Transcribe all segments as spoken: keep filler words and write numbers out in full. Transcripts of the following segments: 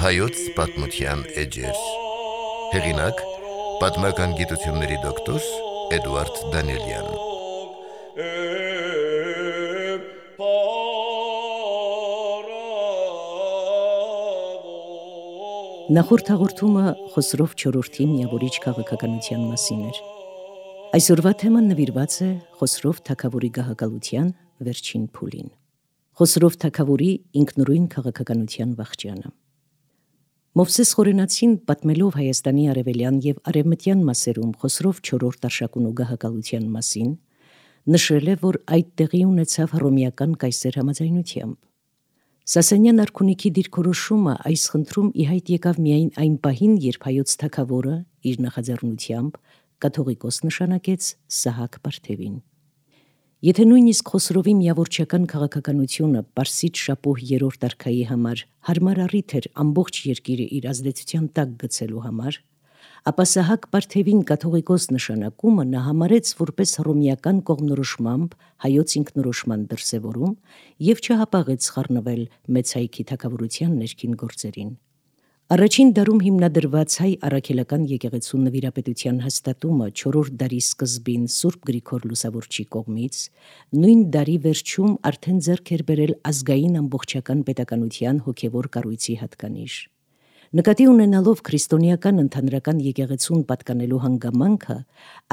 Հայոց պատմության էջեր։ Հեղինակ՝ պատմական գիտությունների դոկտոր Էդուարդ Դանիելյան։ Նախորդ հաղորդումը Խոսրով չորրորդի միավորիչ քաղաքականության մասին էր։ Այսօրվա թեման նվիրված է Խոսրով թագավորի գահակալության վերջին փուլին։ Խոսրով թագավորի ինքնուրույն քաղաքականության վախճանը։ Մովսես Խորենացին պատմելով Հայաստանի արևելյան եւ արևմտյան մասերում Խոսրով չորրորդ արշակունու գահակալության մասին, նշել է, որ այդ տեղի ունեցավ հռոմեական կայսեր համաձայնությամբ։ Սասանյան արքունիքի դիրքորոշումը այս խնդրում ի հայտ եկավ միայն այն պահին, երբ հայոց թագավորը իր նախաձեռնությամբ կաթողիկոս նշանակեց Սահակ Պարթևին։ Եթե նույնիսկ Խոսրովի միավորչական քաղաքականությունը Պարսից շապոհ երրորդ արքայի համար հարմար առիթ էր ամբողջ երկիրը իր ազդեցության տակ գցելու համար, ապա Սահակ Պարթևին կաթողիկոս նշանակումը նա համարեց որպես հռոմեական կողմնորոշմամբ հայոց ինքնորոշման դրսևորում եւ չհապաղեց խառնվել մեծ հայքի թագավորության ներքին գործերին։ Առաջին դարում հիմնադրված հայ առաքելական եկեղեցու նվիրապետության հաստատումը չորրորդ դարի սկզբին Սուրբ Գրիգոր Լուսավորչի կողմից նույն դարի վերջում արդեն ձեռք էր բերել ազգային ամբողջական պետականության հոգևոր կառույցի հատկանիշ։ Նկատի ունենալով քրիստոնեական ընդհանրական եկեղեցուն պատկանելու հանգամանքը,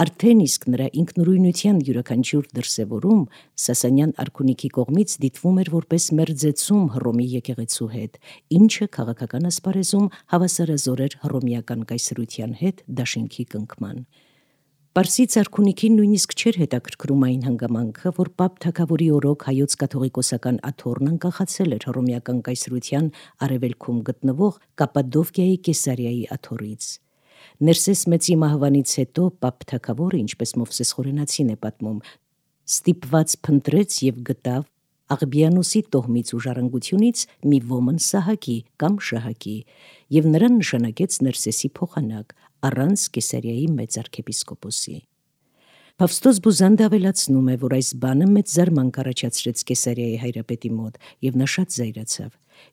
արդեն իսկ նրա ինքնուրույնության յուրաքանչյուր դրսևորում Սասանյան արքունիքի կողմից դիտվում էր որպես մերձեցում Հռոմի եկեղեցու հետ, ինչը քաղաքական ասպարեզում հավասարազոր էր հռոմեական կայսրության հետ դաշինքի կնքման։ Պարսից արքունիքին նույնիսկ չէր հետաքրքրում այն հանգամանքը, որ Պապ թագավորի օրոք հայոց կաթողիկոսական աթոռն անկախացել էր հռոմեական կայսրության արևելքում գտնվող Կապադովկիայի Կեսարիայի աթոռից։ Ներսես մեծի մահվանից հետո Պապ թագավորը, ինչպես Մովսես Խորենացին է պատմում, ստիպված փնտրեց եւ գտավ Աղբիանոսի տոհմից ու ժառանգությունից մի ոմն Սահակի կամ Շահակի եւ նրան նշանակեց Ներսեսի փոխանակ առանց Կեսարիայի մեծ arczepiskopos-ի։ Փավստոս Բուզանդը ավելացնում է, որ այս բանը մեծ զարմանք առաջացրեց Կեսարիայի հայրապետի մոտ եւ նա շատ զայրացավ։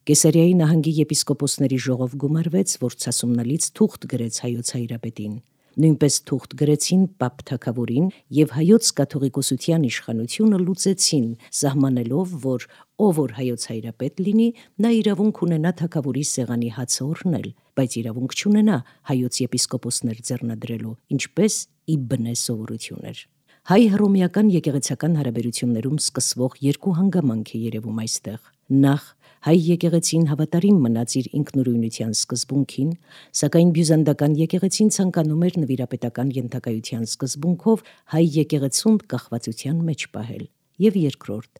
Կեսարիայի նահանգի եպիսկոպոսների ժողով գումարվեց, որ ցասումնալից թուղթ գրեց հայոց հայրապետին։ Նույնպես թուղթ գրեցին Պապ թագավորին եւ հայոց կաթողիկոսության իշխանությունը լուծեցին, սահմանելով, որ ով որ հայոց հայրապետ լինի, նա իրավունք ունենա թագավորի սեղանի հացը օրհնել, բայց իրավունք չունենա հայոց եպիսկոպոսներ ձեռնադրելու, ինչպես ի բնե սովորություն էր։ Հայ-հռոմեական եկեղեցական հարաբերություններում սկսվող երկու հանգամանք է երևում այստեղ։ Նախ հայ եկեղեցին հավատարիմ մնաց իր ինքնուրույնության սկզբունքին, սակայն բյուզանդական եկեղեցին ցանկանում էր նվիրապետական ենթակայության սկզբունքով հայ եկեղեցուն կախվածության մեջ պահել։ Եվ երկրորդ,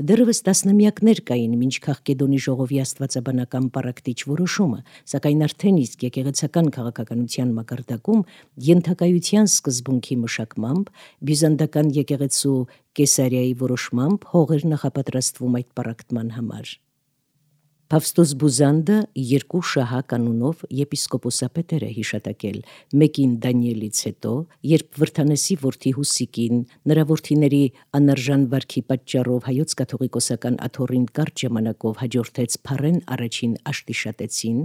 դեռևս տասնամյակներ կային մինչ Քաղկեդոնի ժողովի աստվածաբանական պարակտիչ որոշումը, սակայն արդեն իսկ եկեղեցական քաղաքականության մակարդակում ենթակայության սկզբունքի մշակմամբ բյուզանդական եկեղեցու Կեսարիայի որոշմամբ հող էր նախապատրաստվում այդ պարակտման համար։ Փավստոս Բուզանդը երկու Շահակ անունով եպիսկոպոսապետեր է հիշատակել, մեկին Դանիելից հետո, երբ Վրթանեսի որդի Հուսիկին նրա որդիների անարժան վարքի պատճառով հայոց կաթողիկոսական աթոռին կարճ ժամանակով հաջորդեց Փարեն առաջին Աշտիշատեցին,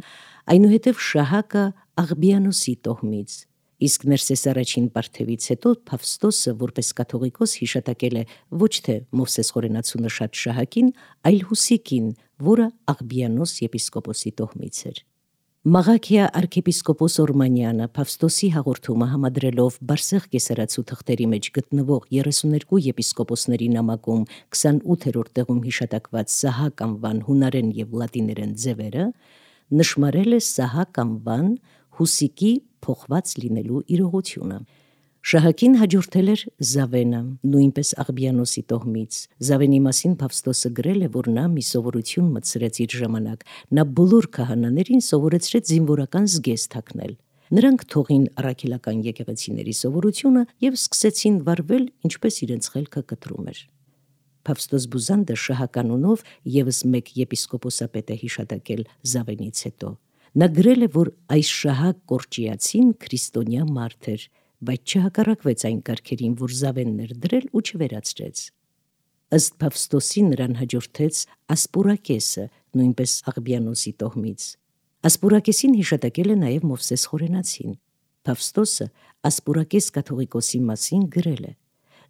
այնուհետև Շահակը Աղբիանոսի տոհմից, իսկ Ներսես առաջին Պարթևից հետո Փավստոսը որպես կաթողիկոս հիշատակել է ոչ թե Մովսես Խորենացու նշած Շահակին, այլ Հուսիկին, որը Աղբիանոս եպիսկոպոսի տոհմից էր։ Մաղաքիա arczepiskopos Օրմանյանը Փավստոսի հաղորդումը համադրելով Բարսեղ կեսարացու թղթերի մեջ գտնվող երեսուներկու եպիսկոպոսների նամակում քսանութերորդ տեղում հիշատակված Սահակ անվան հունարեն եւ լատիներեն ձևերը, նշмарել է Սահակ անվան Հուսիկի փոխված լինելու իրողությունը։ Շահակին հաջորդել էր Զավենը, նույնպես Աղբիանոսի տոհմից։ Զավենի մասին Փավստոսը գրել է, որ նա մի սովորություն մտցրեց իր ժամանակ։ Նա բոլոր քահանաներին սովորեցրեց զինվորական զգեստ հագնել։ Նրանք թողին առաքելական եկեղեցիների սովորությունը եւ սկսեցին վարվել, ինչպես իրենց խելքը կտրում էր։ Փավստոս Բուզանդը Շահականունով եւս մեկ եպիսկոպոսապետ է հիշատակել Զավենից հետո։ Նա գրել է, որ այս Շահակ Կորճիացին քրիստոնյա մարդ էր, բայց չհակառակվեց այն կարգերին, որ Զավենն էր դրել ու չվերացրեց։ Ըստ Փավստոսի նրան հաջորդեց Ասպուրակեսը, նույնպես Աղբիանոսի տոհմից։ Ասպուրակեսին հիշատակել է նաև Մովսես Խորենացին։ Փավստոսը Ասպուրակես կաթողիկոսի մասին գրել է.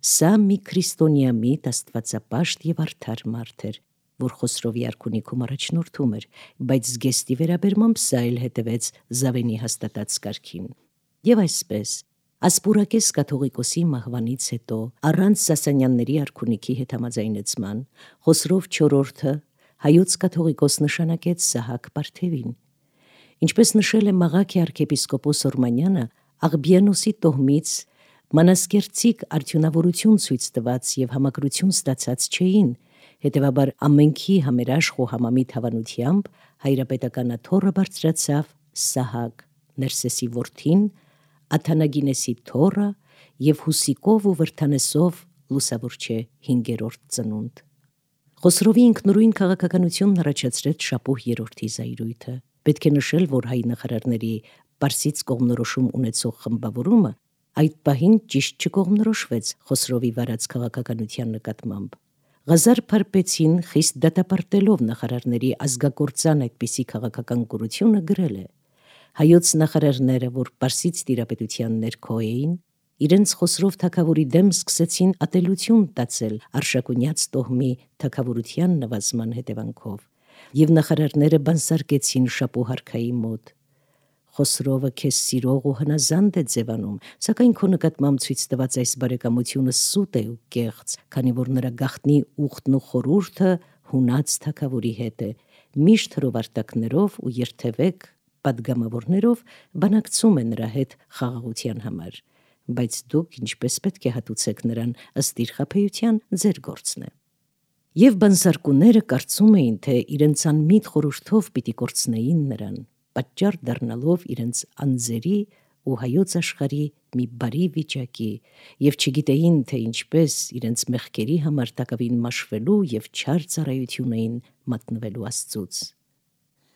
«Սա մի քրիստոնյամիտ աստվածապաշտ եւ արդար մարդ էր, որ Խոսրովի արքունիքում առաջնորդում էր, բայց զգեստի վերաբերմամբ սա էլ հետևեց Զավենի հաստատած կարգին»։ Եվ այսպես Ասպուրակես կաթողիկոսի մահվանից հետո առանց Սասանյանների արքունիքի հետ համաձայնեցման Խոսրով չորրորդը հայոց կաթողիկոս նշանակեց Սահակ Պարթևին։ Ինչպես նշել է Մաղաքի arczepiskopos Օրմանյանը, Աղբյանոսի տոհմից մանասկերտցիկ արդյունավորություն ցույց տված եւ համակրություն ստացած չէին, հետեւաբար ամենքի համերաշխ ու համամիտ հավանությամբ հայրապետականաթոռը բարձրացավ Սահակ, Ներսեսի որդին, Աթանագինեսի թոռը եւ Հուսիկով ու Վրթանեսով լուսավորչե հինգերորդ ծնունդ։ Խոսրովի ինքնուրույն քաղաքականությունն առաջացրեց Շապուհ երրորդի զայրույթը։ Պետք է նշել, որ հայ նախարարների Պարսից կողմնորոշում ունեցող խմբավորումը այդ պահին ճիշտ չկողմնորոշվեց Խոսրովի վարած քաղաքականության նկատմամբ։ Ղազար Փարպեցին խիստ դատապարտելով նախարարների ազգակործան այդպիսի քաղաքական կուրությունը գրել է. «Հայոց նախարարները, որ Պարսից տիրապետության ներքո էին, իրենց Խոսրով թագավորի դեմ սկսեցին ատելություն տածել Արշակունյաց տոհմի թագավորության նվազման հետևանքով, եւ նախարարները բանսարկեցին Շապուհ արքայի մոտ։ Խոսրովը քեզ սիրող ու հնազանդ է ձևանում, սակայն քո նկատմամբ ցույց տված այս բարեկամությունը սուտ է ու կեղծ, քանի որ նրա գաղտնի ուխտն ու խորհուրդը հունած թագավորի հետ է, միշտ հրովարտակներով ու երթևեք պատգամավորներով բանակցում է նրա հետ խաղաղության համար, բայց դուք ինչպես պետք է հատուցեք նրան ըստ իր խաբեության, ձեր գործն է»։ Եվ բանսարկուները կարծում էին, թե իրենց անմիտ խորհրդով պիտի կորցնեին նրան, պատճառ դառնալով իրենց անձերի ու հայոց աշխարհի մի բարի վիճակի, եւ չգիտեին, թե ինչպես իրենց մեղքերի համար տակավին մաշվելու եւ չար ծառայություն էին մատնվելու Աստծուց։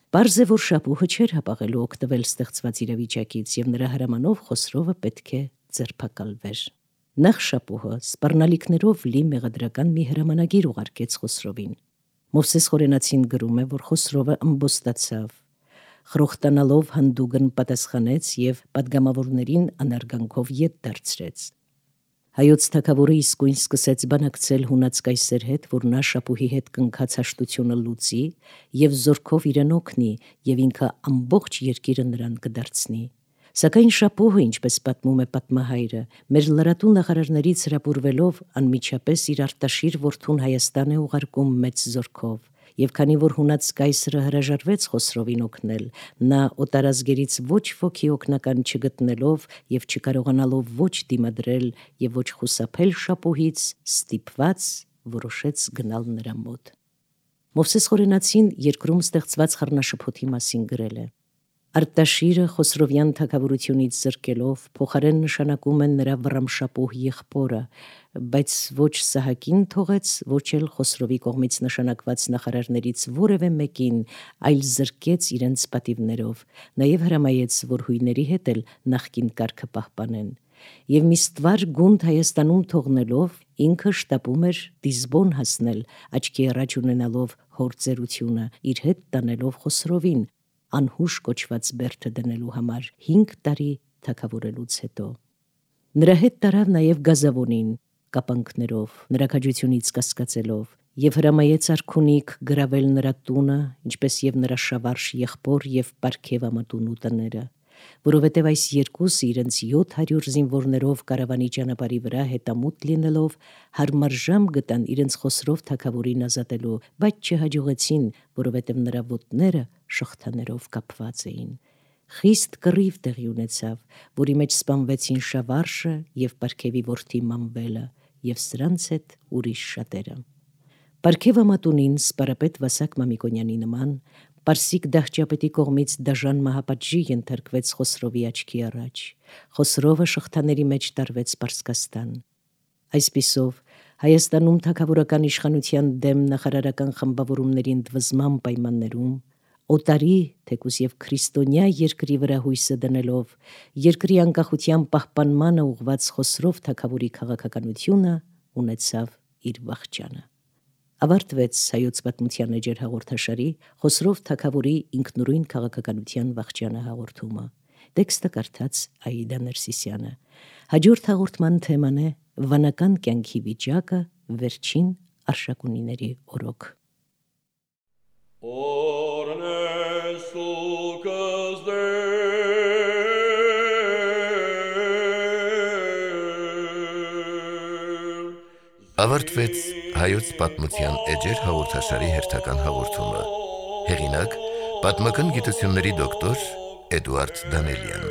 Պարզ է, որ Շապուհը չէր հապաղելու օգտվել ստեղծված իրավիճակից, եւ նրա հրամանով Խոսրովը պետք է ձերբակալվեր։ Նախ Շապուհը սպառնալիքներով լի մեղադրական մի հրամանագիր ուղարկեց Խոսրովին։ Մովսես Խորենացին գրում է, որ Խոսրովը ըմբոստացավ, խրոխտանալով հանդուգն պատասխանեց եւ պատգամավորներին անարգանքով ետ դարձրեց։ Հայոց թագավորը իսկույն սկսեց բանակցել հունած կայսեր հետ, որ նա Շապուհի հետ կնքած հաշտությունը լուծի եւ զորքով իրեն օգնի եւ ինքը ամբողջ երկիրը նրան կդարձնի։ Սակայն Շապուհը, ինչպես պատմում է պատմահայրը, մեր լրատու նախարարներից հրապուրվելով անմիջապես իր արտաշիր որդուն Հայաստան է ուղարկում մեծ զորքով, եւ քանի որ հունած կայսրը հրաժարվեց Խոսրովին օգնել, նա օտարազգերից ոչ ոքի օգնական չգտնելով եւ չկարողանալով ոչ դիմադրել եւ ոչ խուսափել Շապուհից, ստիպված որոշեց գնալ նրա մոտ։ Մովսես Խորենացին երկրում ստեղծված խառնաշփոթի մասին գրել է. Արտաշիրը Խոսրովյան թագավորությունից զրկելով փոխարեն նշանակում են նրա Վռամշապուհ եղբորը, բայց ոչ Սահակին թողեց, ոչ էլ Խոսրովի կողմից նշանակված նախարարներից որևէ մեկին, այլ զրկեց իրենց պատիվներով, նաև հրամայեց, որ հույների հետ էլ նախկին կարգը պահպանեն։ Եվ մի ստվար գունդ Հայաստանում թողնելով ինքը շտապում էր Դիզբոն հասնել, աչքի առաջ ունենալով հոր ծերությունը, իր հետ տանելով Խոսրովին, անհուշ կոչված բերդը դնելու համար հինգ տարի թագավորելուց հետո։ Նրա հետ տարավ նաև Գազավոնին կապանքներով, նրա քաջությունից կասկածելով, եւ հրամայեց արքունիք գրավել նրա տունը, ինչպես եւ նրա շավարժ եղբոր եւ Պարքևամատունու տները, որովհետև այս երկուսը իրենց յոթ հարյուր զինվորներով կարավանի ճանապարհի վրա հետամուտ լինելով հարմար ժամ գտան իրենց Խոսրով թագավորին ազատելու, բայց չհաջողեցին, որովհետև նրա ոտները շղթաներով կապված էին։ Խիստ կռիվ տեղի ունեցավ, որի մեջ սպանվեցին Շավարժը եւ Պարքևի որդի Մանվելը եւ սրանց հետ ուրիշ շատերը։ Պարքևամատունին սպարապետ Վասակ Մամիկոնյանի նման Պարսիկ դահճապետի կողմից դաժան մահապատժի ենթարկվեց Խոսրովի աչքի առաջ։ Խոսրովը շղթաների մեջ տարվեց Պարսկաստան։ Այսպիսով Հայաստանում թագավորական իշխանության դեմ նախարարական խմբավորումների ընդվզման պայմաններում օտարի, թեկուզ եւ քրիստոնյա երկրի վրա հույսը դնելով երկրի անկախության պահպանմանը ուղված Խոսրով թագավորի քաղաքականությունը ունեցավ իր վախճանը։ Ավարտվեց հայոց պատմության էջեր հաղորդաշարի Խոսրով թագավորի ինքնուրույն քաղաքականության վախճանը հաղորդումը։ Տեքստը կարդաց Աիդա Ներսիսյանը։ Հաջորդ հաղորդման թեման է վանական կյանքի վիճակը վերջին արշակունիների օրոք։ Ավարտվեց հայոց պատմության էջեր հաղորդաշարի հերթական հաղորդումը։ Հեղինակ՝ պատմական գիտությունների դոկտոր Էդուարդ Դանելյան։